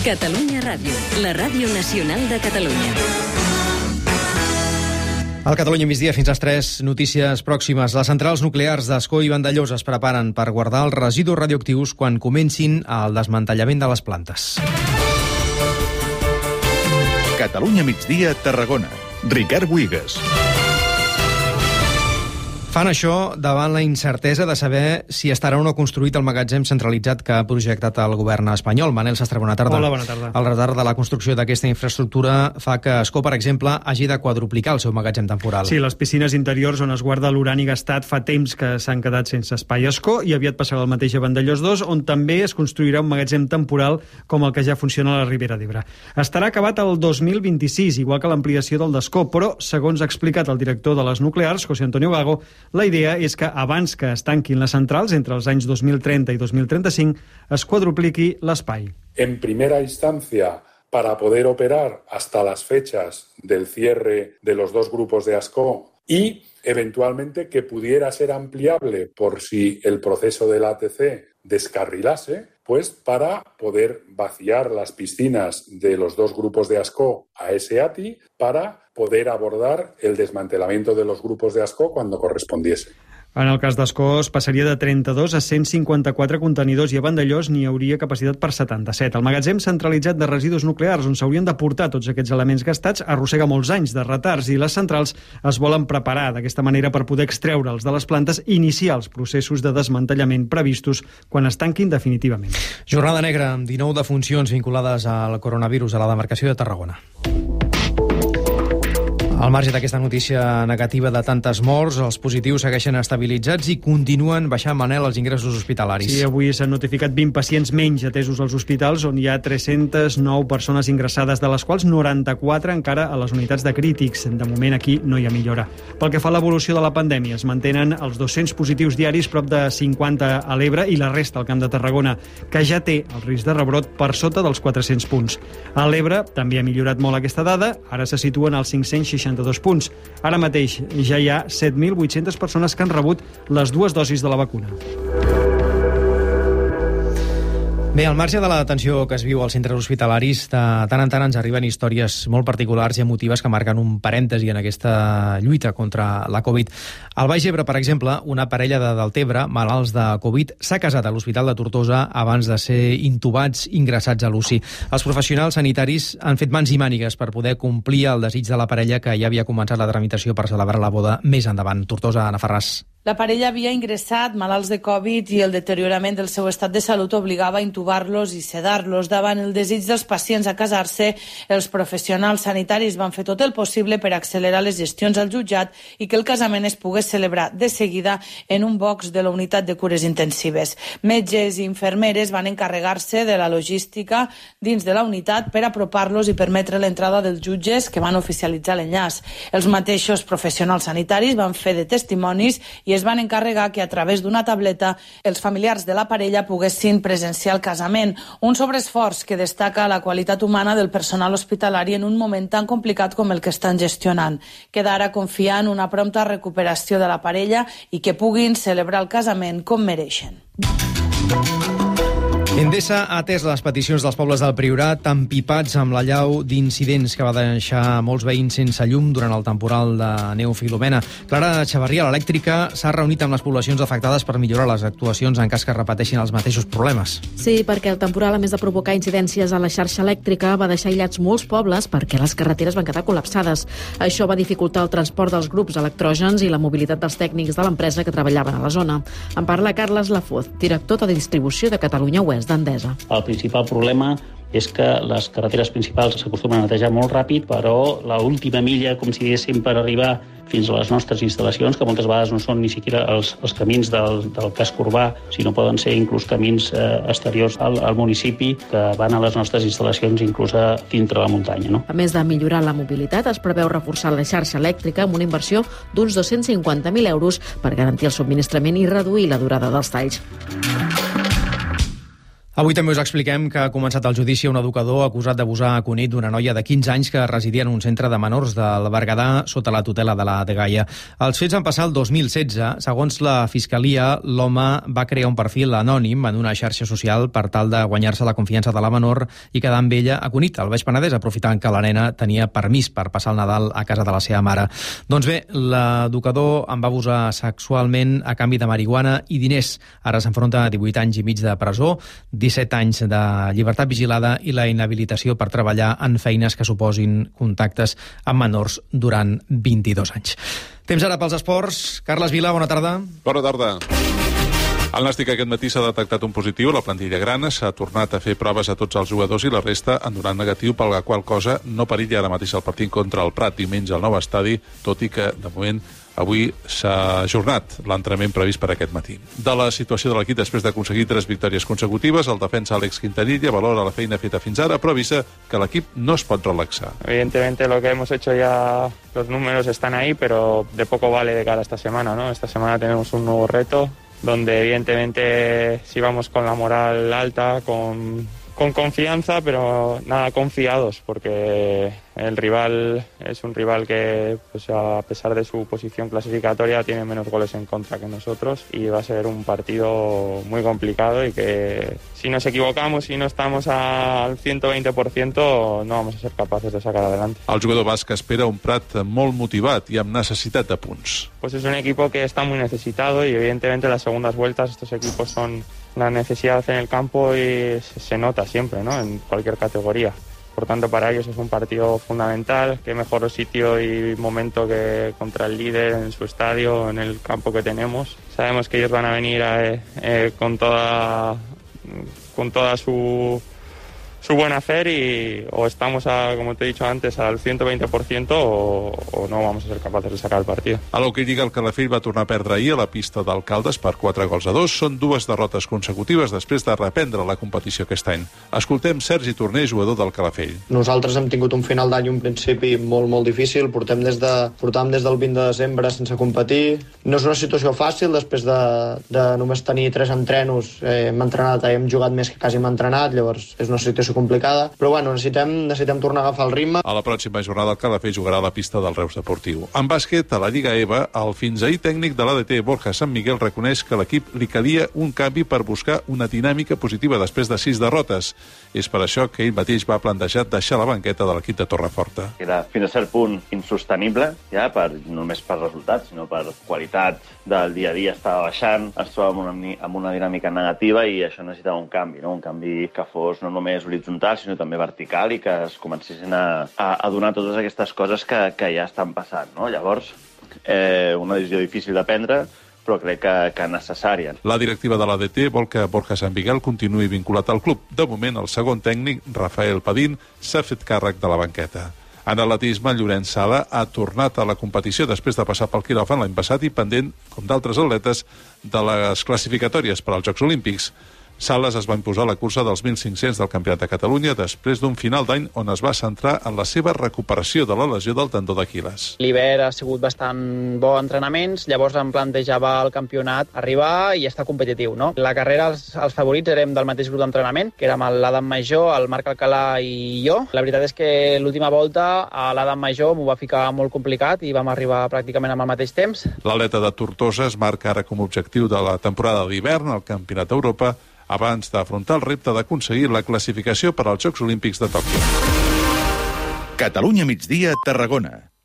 Catalunya Ràdio, la ràdio nacional de Catalunya. Al Catalunya migdia fins a les 3, notícies pròximes. Les centrals nuclears d'Ascó i Vandellòs es preparen per guardar els residus radioactius quan comencin el desmantellament de les plantes. Catalunya migdia, Tarragona. Ricard Buigas. Fan això davant la incertesa de saber si estarà o no construït el magatzem centralitzat que ha projectat el govern espanyol. Manel Sastre, bona tarda. Hola, bona tarda. El retard de la construcció d'aquesta infraestructura fa que Ascó, per exemple, hagi de quadruplicar el seu magatzem temporal. Sí, les piscines interiors on es guarda l'urani gastat fa temps que s'han quedat sense espai a Ascó i aviat passarà el mateix a Vandellòs 2, on també es construirà un magatzem temporal com el que ja funciona a la Ribera d'Ebre. Estarà acabat el 2026, igual que l'ampliació del d'Ascó, però, segons ha explicat el director de les nuclears, José Antonio Gago, la idea és que abans que es tanquin les centrals, entre els anys 2030 i 2035, es quadrupliqui l'espai. En primera instancia, para poder operar hasta las fechas del cierre de los dos grupos de Ascó y, eventualmente, que pudiera ser ampliable por si el proceso del ATC descarrilase, pues para poder vaciar las piscinas de los dos grupos de Ascó a ese ATI para poder abordar el desmantelamiento de los grupos de Ascó cuando correspondiese. En el cas d'Ascó es passaria de 32 a 154 contenidors i a Vandellòs n'hi hauria capacitat per 77. El magatzem centralitzat de residus nuclears on s'haurien de portar tots aquests elements gastats arrossega molts anys de retards i les centrals es volen preparar d'aquesta manera per poder extreure'ls de les plantes i iniciar els processos de desmantellament previstos quan es tanquin definitivament. Jornada negra amb 19 defuncions vinculades al coronavirus a la demarcació de Tarragona. Al marge d'aquesta notícia negativa de tantes morts, els positius segueixen estabilitzats i continuen baixant, Manel, els ingressos hospitalaris. Sí, avui s'han notificat 20 pacients menys atesos als hospitals, on hi ha 309 persones ingressades, de les quals 94 encara a les unitats de crítics. De moment aquí no hi ha millora. Pel que fa a l'evolució de la pandèmia, es mantenen els 200 positius diaris, prop de 50 a l'Ebre i la resta al Camp de Tarragona, que ja té el risc de rebrot per sota dels 400 punts. A l'Ebre també ha millorat molt aquesta dada, ara se situen als 562 punts. Ara mateix ja hi ha 7.800 persones que han rebut les 2 dosis de la vacuna. Bé, al marge de la tensió que es viu als centres hospitalaris, de tant en tant ens arriben històries molt particulars i emotives que marquen un parèntesi en aquesta lluita contra la Covid. Al Baix Ebre, per exemple, una parella de Deltebre, malalts de Covid, s'ha casat a l'Hospital de Tortosa abans de ser intubats, ingressats a l'UCI. Els professionals sanitaris han fet mans i mànigues per poder complir el desig de la parella, que ja havia començat la tramitació per celebrar la boda més endavant. Tortosa, Anna Ferràs. La parella havia ingressat malalts de Covid i el deteriorament del seu estat de salut obligava a intubar-los i sedar-los. Davant el desig dels pacients a casar-se, els professionals sanitaris van fer tot el possible per accelerar les gestions al jutjat i que el casament es pogués celebrar de seguida en un box de la unitat de cures intensives. Metges i infermeres van encarregar-se de la logística dins de la unitat per apropar-los i permetre l'entrada dels jutges que van oficialitzar l'enllaç. Els mateixos professionals sanitaris van fer de testimonis i es van encarregar que a través d'una tableta els familiars de la parella poguessin presenciar el casament. Un sobreesforç que destaca la qualitat humana del personal hospitalari en un moment tan complicat com el que estan gestionant. Queda ara confiar en una prompta recuperació de la parella i que puguin celebrar el casament com mereixen. Endesa ha atès les peticions dels pobles del Priorat, empipats amb l'allau d'incidents que va deixar molts veïns sense llum durant el temporal de neu Filomena. Clara Xavarria, l'elèctrica, s'ha reunit amb les poblacions afectades per millorar les actuacions en cas que repeteixin els mateixos problemes. Sí, perquè el temporal, a més de provocar incidències a la xarxa elèctrica, va deixar aïllats molts pobles perquè les carreteres van quedar col·lapsades. Això va dificultar el transport dels grups electrògens i la mobilitat dels tècnics de l'empresa que treballaven a la zona. En parla Carles Lafoz, director de distribució de Catalunya Oest d'Endesa. El principal problema és que les carreteres principals s'acostumen a netejar molt ràpid, però l'última milla, com si diguéssim, per arribar fins a les nostres instal·lacions, que moltes vegades no són ni siquiera els camins del casc urbà, sinó poden ser inclús camins exteriors al municipi que van a les nostres instal·lacions inclús a dintre la muntanya. No? A més de millorar la mobilitat, es preveu reforçar la xarxa elèctrica amb una inversió d'uns 250.000 euros per garantir el subministrament i reduir la durada dels talls. Avui també us expliquem que ha començat el judici a un educador acusat d'abusar a Cunit d'una noia de 15 anys que residia en un centre de menors del Berguedà sota la tutela de la dgaia. Els fets van passar el 2016. Segons la Fiscalia, l'home va crear un perfil anònim en una xarxa social per tal de guanyar-se la confiança de la menor i quedar amb ella a Cunit, al Baix Penedès, aprofitant que la nena tenia permís per passar el Nadal a casa de la seva mare. Doncs bé, l'educador en va abusar sexualment a canvi de marihuana i diners. Ara s'enfronta a 18 anys i mig de presó, 17 anys de llibertat vigilada i la inhabilitació per treballar en feines que suposin contactes amb menors durant 22 anys. Temps ara pels esports. Carles Vila, bona tarda. Bona tarda. Al Nàstic aquest matí s'ha detectat un positiu. La plantilla grana s'ha tornat a fer proves a tots els jugadors i la resta han donat negatiu, per la qual cosa no perilla ara mateix el partit contra el Prat diumenge al nou estadi, tot i que, de moment, avui s'ha ajornat l'entrenament previst per aquest matí. De la situació de l'equip després d'aconseguir 3 victòries consecutives, el defensa Àlex Quintanilla valora la feina feta fins ara, però avisa que l'equip no es pot relaxar. Evidentemente lo que hemos hecho ya, los números están ahí, pero de poco vale de cara a esta semana, ¿no? Esta semana tenemos un nuevo reto, donde evidentemente si vamos con la moral alta, con confianza, pero nada confiados, porque el rival es un rival que, pues, a pesar de su posición clasificatoria, tiene menos goles en contra que nosotros y va a ser un partido muy complicado y que si nos equivocamos y no estamos al 120% no vamos a ser capaces de sacar adelante. El jugador basc espera un Prat molt motivat i amb necessitat de punts. Pues es un equipo que está muy necesitado y evidentemente las segundas vueltas estos equipos son la necesidad en el campo y se nota siempre, ¿no? En cualquier categoría. Por tanto, para ellos es un partido fundamental. Qué mejor sitio y momento que contra el líder en su estadio, en el campo que tenemos. Sabemos que ellos van a venir con toda su buen hacer y o estamos, como te he dicho antes, al 120% o no vamos a ser capaces de sacar el partido. A l'Hockey Lliga, el Calafell va tornar a perdre ahir a la pista d'Alcaldes per 4-2. Són 2 derrotes consecutives després de reprendre la competició aquest any. Escoltem Sergi Torner, jugador del Calafell. Nosaltres hem tingut un final d'any, un principi molt difícil. Portàvem des del 20 de desembre sense competir. No és una situació fàcil, després de només tenir 3 entrenos. Hem entrenat, hem jugat més que quasi hem entrenat, llavors és una situació complicada, però bueno, necessitem tornar a agafar el ritme. A la pròxima jornada el Calafell jugarà a la pista del Reus Deportiu. En bàsquet, a la Lliga EVA, el fins ahir tècnic de l'ADT, Borja Sant Miguel, reconeix que l'equip li calia un canvi per buscar una dinàmica positiva després de 6 derrotes. És per això que ell mateix va plantejar deixar la banqueta de l'equip de Torreforta. Era fins a cert punt insostenible, ja no només per resultats, sinó per qualitat del dia a dia estava baixant, ens trobàvem amb una dinàmica negativa i això necessitava un canvi, no? Un canvi que fos no només horitzontal, sinó també vertical i que es comencessin a donar totes aquestes coses que ja estan passant, no? Llavors, una decisió difícil de prendre, però crec que necessària. La directiva de l'ADT vol que Borja Sant Miguel continuï vinculat al club. De moment, el segon tècnic, Rafael Padín, s'ha fet càrrec de la banqueta. En atletisme, Llorenç Sala ha tornat a la competició després de passar pel quiròfan l'any passat i pendent, com d'altres atletes, de les classificatòries per als Jocs Olímpics. Sales es va imposar la cursa dels 1.500 del Campionat de Catalunya després d'un final d'any on es va centrar en la seva recuperació de la lesió del tendó d'Aquil·les. L'hivern ha sigut bastant bo entrenaments, llavors em plantejava el campionat arribar i estar competitiu, no? La carrera, els favorits érem del mateix grup d'entrenament, que érem l'Adam Major, el Marc Alcalà i jo. La veritat és que l'última volta a l'Adam Major m'ho va ficar molt complicat i vam arribar pràcticament amb el mateix temps. L'atleta de Tortosa es marca ara com a objectiu de la temporada d'hivern al Campionat d'Europa abans d'afrontar el repte d'aconseguir la classificació per als Jocs Olímpics de Tòquio. Catalunya migdia, Tarragona.